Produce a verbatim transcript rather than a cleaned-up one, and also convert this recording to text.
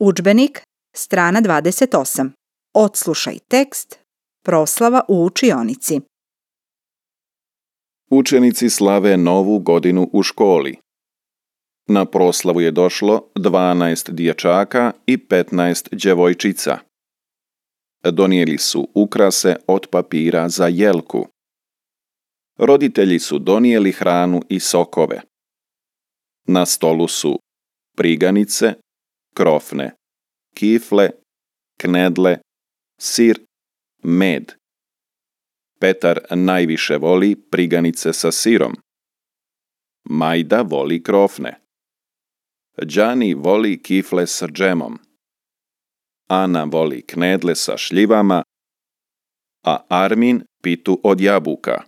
Udžbenik, strana dvadeset osam. Odslušaj tekst. Proslava u učionici. Učenici slave novu godinu u školi. Na proslavu je došlo dvanaest dječaka i petnaest djevojčica. Donijeli su ukrase od papira za jelku. Roditelji su donijeli hranu i sokove. Na stolu su priganice, krofne, kifle, knedle, sir, med. Petar najviše voli priganice sa sirom. Majda voli krofne. Đani voli kifle sa džemom. Ana voli knedle sa šljivama, a Armin pitu od jabuka.